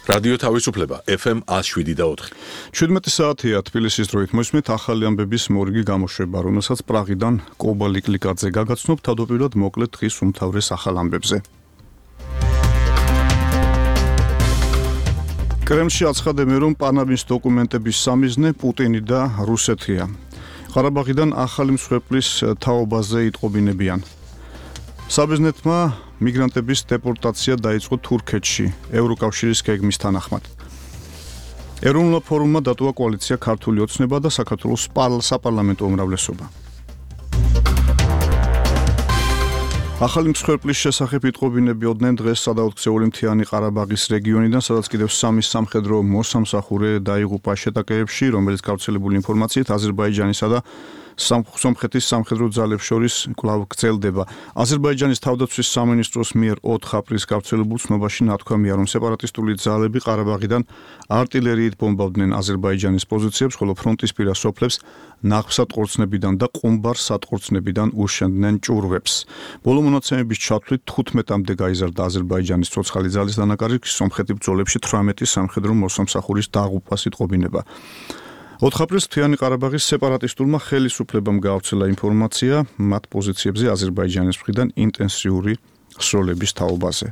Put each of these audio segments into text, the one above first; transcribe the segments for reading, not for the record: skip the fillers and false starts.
რადიო თავისუფლება FM 107.4. 17 საათია თბილისის დროით მოსმით ახალი ამბების მორიგი გამოშვება, რომელსაც პრაღიდან კობა ლიკლიკაძე გაგაცნობ თავდაპირველად მოკლედ დღის უმთავრეს ახალ ამბებზე. კრემლში აცხადებენ, რომ პანამის დოკუმენტების სამიზნე პუტინი და რუსეთია. ყარაბაღიდან ახალი მსხვერპლის თაობაზე იტყობინებიან. საბერძნეთმა მიგრანტების დეპორტაცია დაიწყო თურქეთში, ევროკავშირის გეგმის თანახმად. ეროვნულ ფორუმმა დატოვა კოალიცია ქართული ოცნება და საქართველოს საპარლამენტო უმრავლესობა. ახალი მსხვერპლის შესახებ იტყობინებიოდნენ დღეს სადაოთხსეული მთიანი ყარაბაღის რეგიონიდან, სადაც კიდევ სამი სამხედრო მოსამსახურე დაიღუპა შეტაკებებში, რომელიც გავრცელებული ინფორმაციით აზერბაიჯანისა და სომხეთის სამხედრო ძალებს შორის კვლავ გრძელდება. აზერბაიჯანის თავდაცვის სამინისტროს მიერ 4 აპრილს გავრცელებულ ცნობაში ნათქვამია, რომ სეპარატისტული ძალები ყარაბაღიდან არტილერიით ბომბავდნენ აზერბაიჯანის პოზიციებს, ხოლო ფრონტისპირა სოფლებს ნაღვსატყორცნებიდან და ყუმბარ-სატყორცნებიდან უშენდნენ ჭურვებს. ბოლო მონაცემების ჩათვლით 15-მდე გაიზარდა აზერბაიჯანის ცოცხალი ძალის დანაკარგი, სომხეთის ბრძოლებში 18 სამხედრო მოსამსახურის დაღუპვას იტყობინება. 4 აპრილს მთიანი ყარაბაღის სეპარატისტულმა ხელისუფლებამ გაავრცელა ინფორმაცია მათ პოზიციებზე აზერბაიჯანის მხრიდან ინტენსიური სროლების თაობაზე.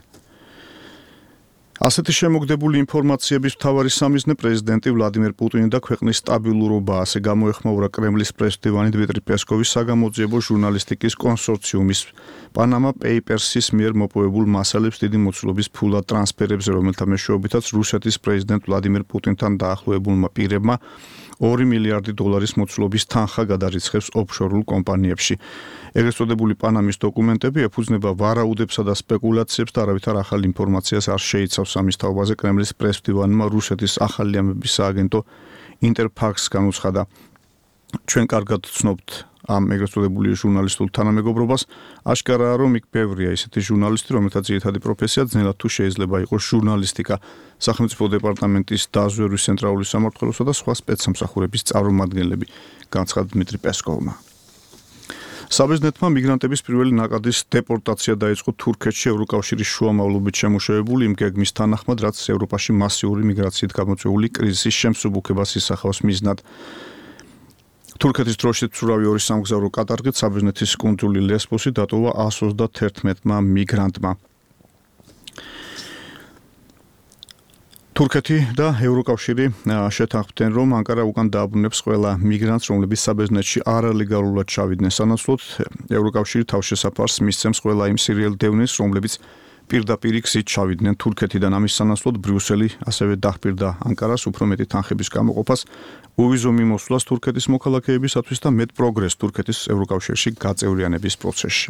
ასეთი შემოგდებული ინფორმაციების მთავარი სამიზნე პრეზიდენტი ვლადიმერ პუტინი და ქვეყნის სტაბილურობა, ასე გამოეხმაურა კრემლის პრესდივანი დმიტრი პესკოვის საგამოძიებო ჟურნალისტიკის კონსორციუმის პანამა პეიპერსის მიერ მოპოვებულ მასალებს დიდი მოცულობის ფულად ტრანსფერებზე, რომელთა მეშვეობითაც რუსეთის პრეზიდენტ ვლადიმერ პუტინთან დაახლოებულმა პირებმა 2 მილიარდი დოლარის მოცულობის თანხა გადარიცხეს ოფშორულ კომპანიებში. ეგრეთ წოდებული პანამის დოკუმენტები ეფუძნება ვარაუდებსა და სპეკულაციებს და არავითარ ახალ ინფორმაციას არ შეიცავს ამის თაობაზე. კრემლის პრესდივანმა რუსეთის ახალი ამბების სააგენტო ინტერფაქსს განუცხადა. ჩვენ კარგად ვცნობთ ამ ეგრეთ წოდებული ჟურნალისტულ თანამეგობრობას. აშკარაა, რომ იქ ბევრია ისეთი ჟურნალისტი, რომელთა ძირითადი პროფესია ძნელად თუ შეიძლება იყოს ჟურნალისტიკა, სახელმწიფო დეპარტამენტის დაზვერვის ცენტრალური სამმართველოსა და სხვა სპეცსამსახურების წარმომადგენლები, განცხადა დმიტრი პესკოვმა. საბერძნეთმა მიგრანტების პირველი ნაკადის დეპორტაცია დაიწყო თურქეთში ევროკავშირის შუამავლობით შემუშავებული იმ გეგმის თანახმად, რაც ევროპაში მასიური მიგრაციით გამოწვეული კრიზისის შემსუბუქებას ისახავს მიზნად. თურქეთის დროშით მცურავი 2 სამგზავრო კატარგით საბერძნეთის კუნძული ლესბოსი დატოვა 131 მიგრანტმა. თურქეთი და ევროკავშირი შეთანხმდნენ, რომ ანკარა უკან დააბრუნებს ყველა მიგრანტს, რომლებიც საბერძნეთში არალეგალურად ჩავიდნენ. სანაცვლოდ ევროკავშირი თავშესაფარს მისცემს ყველა იმ სირიელ დევნილს, რომლებიც პირდაპირ გზით ჩავიდნენ თურქეთიდან. ამის სანაცვლოდ ბრიუსელი ასევე დაჰპირდა ანკარას უფრო მეტი თანხების გამოყოფას, უვიზო მიმოსვლას თურქეთის მოქალაქეებისათვის და მეტ პროგრესს თურქეთის ევროკავშირში გაწევრიანების პროცესში.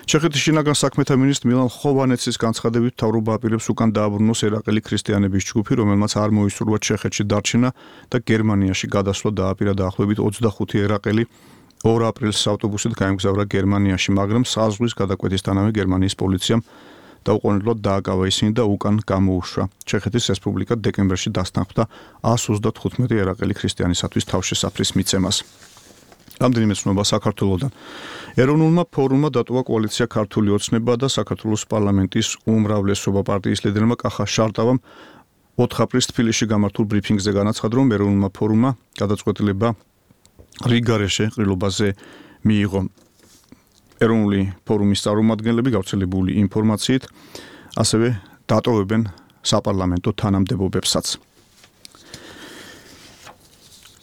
ჩეხეთის შინაგან საქმეთა მინისტრ მილან ხოვანეცის განცხადებით მთავრობა აპირებს უკან დააბრუნოს ერაყელი ქრისტიანების ჯგუფი, რომელმაც არ მოისურვა ჩეხეთში დარჩენა და გერმანიაში გადასვლა დააპირა დაახლოებით 25 ერაყელი 2 აპრილს ავტობუსით გაემგზავრა გერმანიაში, მაგრამ საზღვრის გადაკვეთისთანავე გერმანიის პოლიციამ დაუყოვნებლად დააკავა ისინი და უკან გამოუშვა. ჩეხეთის რესპუბლიკა დეკემბერში დასთანხმდა 135 ერაყელი ქრისტიანისათვის თავშესაფრის მიცემას. რამდენიმე ცნობა საქართველოდან. ეროვნულმა ფორუმმა დატოვა კოალიცია ქართული ოცნება და საქართველოს პარლამენტის უმრავლესობა. პარტიის ლიდერმა კახა შარტავამ 4 აპრილს თბილისში გამართულ ბრიფინგზე განაცხადა, რომ ეროვნულმა ფორუმმა გადაწყვეტილება რიგარეშე ყრილობაზე მიიღო. ეროვნული ფორუმის წარმომადგენლები გავრცელებული ინფორმაციით ასევე დატოვებენ საპარლამენტო თანამდებობებსაც.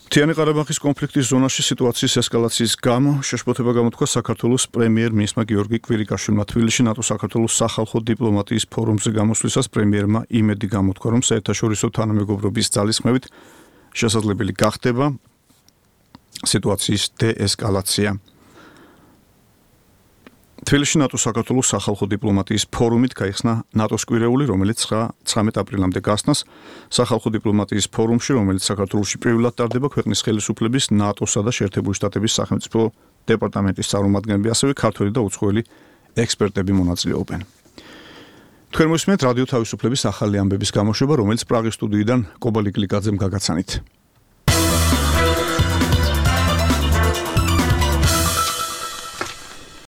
მთიანი ყარაბაღის კონფლიქტის ზონაში სიტუაციის ესკალაციის გამო შეშფოთება გამოთქვა საქართველოს პრემიერ-მინისტრმა გიორგი კვირიკაშვილმა. თბილისში ნატო-საქართველოს სახალხო დიპლომატიის ფორუმზე გამოსვლისას პრემიერმა იმედი გამოთქვა, რომ საერთაშორისო თანამეგობრობის ძალისხმევით შესაძლებელი გახდება სიტუაციის დეესკალაცია. თბილისში ნატო-საქართველოს სახალხო დიპლომატიის ფორუმით გაიხსნა ნატოს კვირეული, რომელიც 19 აპრილამდე გასცნას. სახალხო დიპლომატიის ფორუმში, რომელიც საქართველოში პირველად ტარდება, ქვეყნის ხელისუფლების, ნატოსა და შეერთებული შტატების სახელმწიფო დეპარტამენტის წარმომადგენლები, ასევე ქართველი და უცხოელი ექსპერტები მონაწილეობენ. თქვენ მოსმენთ რადიო თავისუფლების ახალი ამბების გამოშვება, რომელიც პრაღის სტუდიიდან კობა ლიკლიკაძემ გაგაცანით.